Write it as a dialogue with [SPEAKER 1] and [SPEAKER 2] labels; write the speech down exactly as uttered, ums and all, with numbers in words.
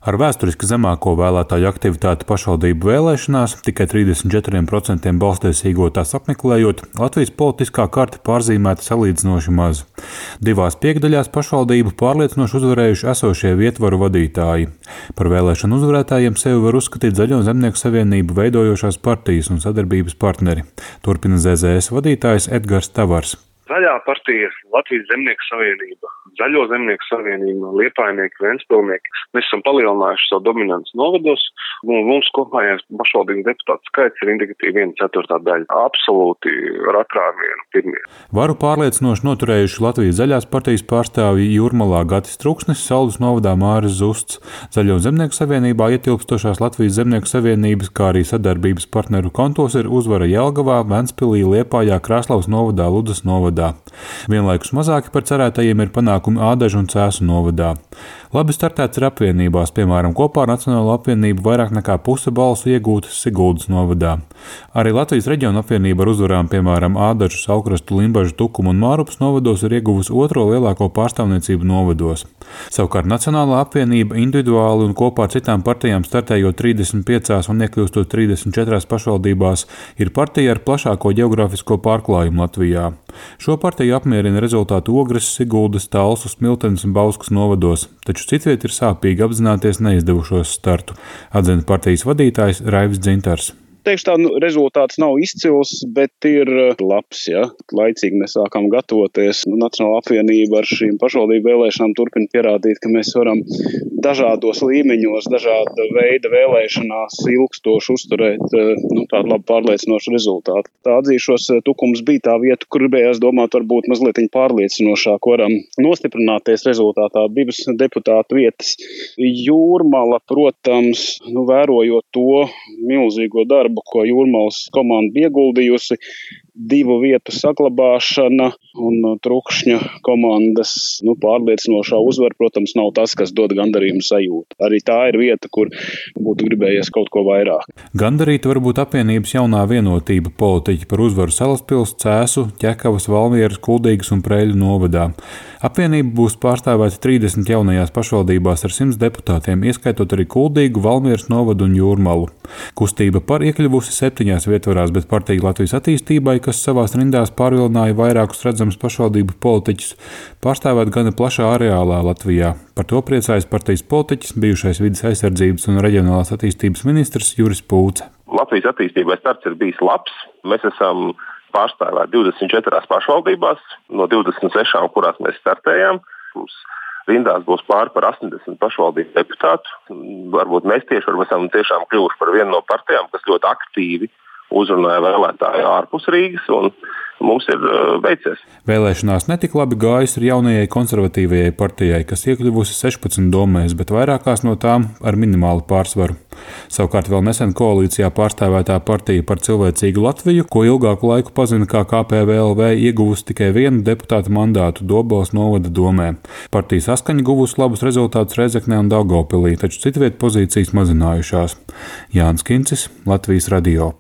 [SPEAKER 1] Ar vēsturiski zemāko vēlētāju aktivitāti pašvaldību vēlēšanās, tikai trīsdesmit četriem procentiem balsstiesīgo tās apmeklējot, Latvijas politiskā karte pārzīmēta salīdzinoši maz. Divās piekdaļās pašvaldību pārliecinoši uzvarējuši esošie vietvaru vadītāji. Par vēlēšanu uzvarētājiem sevi var uzskatīt Zaļo zemnieku savienību veidojošās partijas un sadarbības partneri. Turpina Z Z S vadītājs Edgars Tavars.
[SPEAKER 2] Zaļā partija, Latvijas zemnieku savienība, Zaļo zemnieku savienība, Liepājnieki, Ventspilnieki. Mēs esam palielinājuši savu dominanci novados, un mums kopējais pašvaldību deputātu skaits ir indikatīvi viena ceturtā daļa. Absolūti ar atrāvienu pirmie.
[SPEAKER 1] Varu pārliecinoši noturējuši Latvijas zaļās partijas pārstāvji Jūrmalā Gatis Truksnis, Saldus novadā Māris Zusts, Zaļo zemnieku savienībā ietilpstošās Latvijas zemnieku savienības, kā arī sadarbības partneru kontos ir uzvara Jelgavā, Ventspilī, Liepājā, Krāslavas novadā, Ludzas novadā. Vienlaikus mazāki par cerētajiem ir panākumi Ādažu un Cēsu novadā. Labi startēts ir apvienībās, piemēram, kopā ar Nacionālo apvienību vairāk nekā puse balsu iegūtas Siguldas novadā. Arī Latvijas reģiona apvienība ar uzvarām, piemēram, Ādažu, Saukrastu, Limbažu, Tukumu un Mārupas novados ir ieguvusi otro lielāko pārstāvniecību novados. Savukārt Nacionālā apvienība individuāli un kopā ar citām partijām startējot trīsdesmit piecās un iekļūstot trīsdesmit četrās pašvaldībās, ir partija ar plašāko geogrāfisko pārklājumu Latvijā. Šo partiju apmierina rezultātu Ogres, Siguldas, Talsu, Smiltenes un Bauskas novados, taču citviet ir sāpīgi apzināties neizdevušos startu, atzina partijas vadītājs Raivis Dzintars.
[SPEAKER 3] Teikšu tā, nu, rezultāts nav izcils, bet ir labs, ja. Laicīgi mēs sākam gatavoties. Nacionālā apvienība ar šīm pašvaldību vēlēšanām turpina pierādīt, ka mēs varam dažādos līmeņos, dažāda veida vēlēšanās ilgstoši uzturēt nu, tādu labu pārliecinošu rezultātu. Tā atzīšos, Tukums bija tā vieta, kur gribējās domāt varbūt mazliet pārliecinošāk, varam nostiprināties rezultātā divas deputātu vietas. Jūrmala, protams, nu, vērojot to milzīgo darbu, ko Jūrmalas komanda ieguldījusi, divu vietu saglabāšana un Trukšņa komandas nu, pārliecinošā uzvara, protams, nav tas, kas dod gandarījumu sajūtu. Arī tā ir vieta, kur būtu gribējies kaut ko vairāk.
[SPEAKER 1] Gandarīta var būt apvienības jaunā vienotība politiķi par uzvaru Salaspils, Cēsu, Ķekavas, Valmieras, Kuldīgas un Preļu novadā. Apvienība būs pārstāvēta trīsdesmit jaunajās pašvaldībās ar simts deputātiem, ieskaitot arī Kuldīgu, Valmieras novadu un Jūrmalu. Kustība par iekļuvusi septiņās vietvarās, bet partija Latvijas attīstībai, kas savās rindās pārvilināja vairākus redzamus pašvaldību politiķus, pārstāvēt gana plašā areālā Latvijā. Par to priecājas partijas politiķis, bijušais vides aizsardzības un reģionālās attīstības ministrs Juris Pūce.
[SPEAKER 4] Latvijas attīstībai starts ir bijis labs. Mēs esam pārstāvēti divdesmit četrās pašvaldībās, no divdesmit sešām, kurās mēs startējām. Mums rindās būs pāri par astoņdesmit pašvaldību deputātu. Varbūt mēs tieši varbūt esam tiešām kļuvuši par vienu no partijām, kas ļoti aktīvi uzrunāja vēlētāju ārpus Rīgas, un mums ir veicies.
[SPEAKER 1] Vēlēšanās netik labi gājis ar jaunajai konservatīvajai partijai, kas iekļuvusi sešpadsmit domēs, bet vairākās no tām ar minimālu pārsvaru. Savukārt vēl nesen koalīcijā pārstāvētā partija par cilvēcīgu Latviju, ko ilgāku laiku pazina kā K P V L V, ieguvusi tikai vienu deputātu mandātu Dobeles novada domē. Partija Saskaņa guvusi labus rezultātus Rēzeknē un Daugavpilī, taču citviet pozīcijas mazinājušās. Jānis Kincis, Latvijas radio.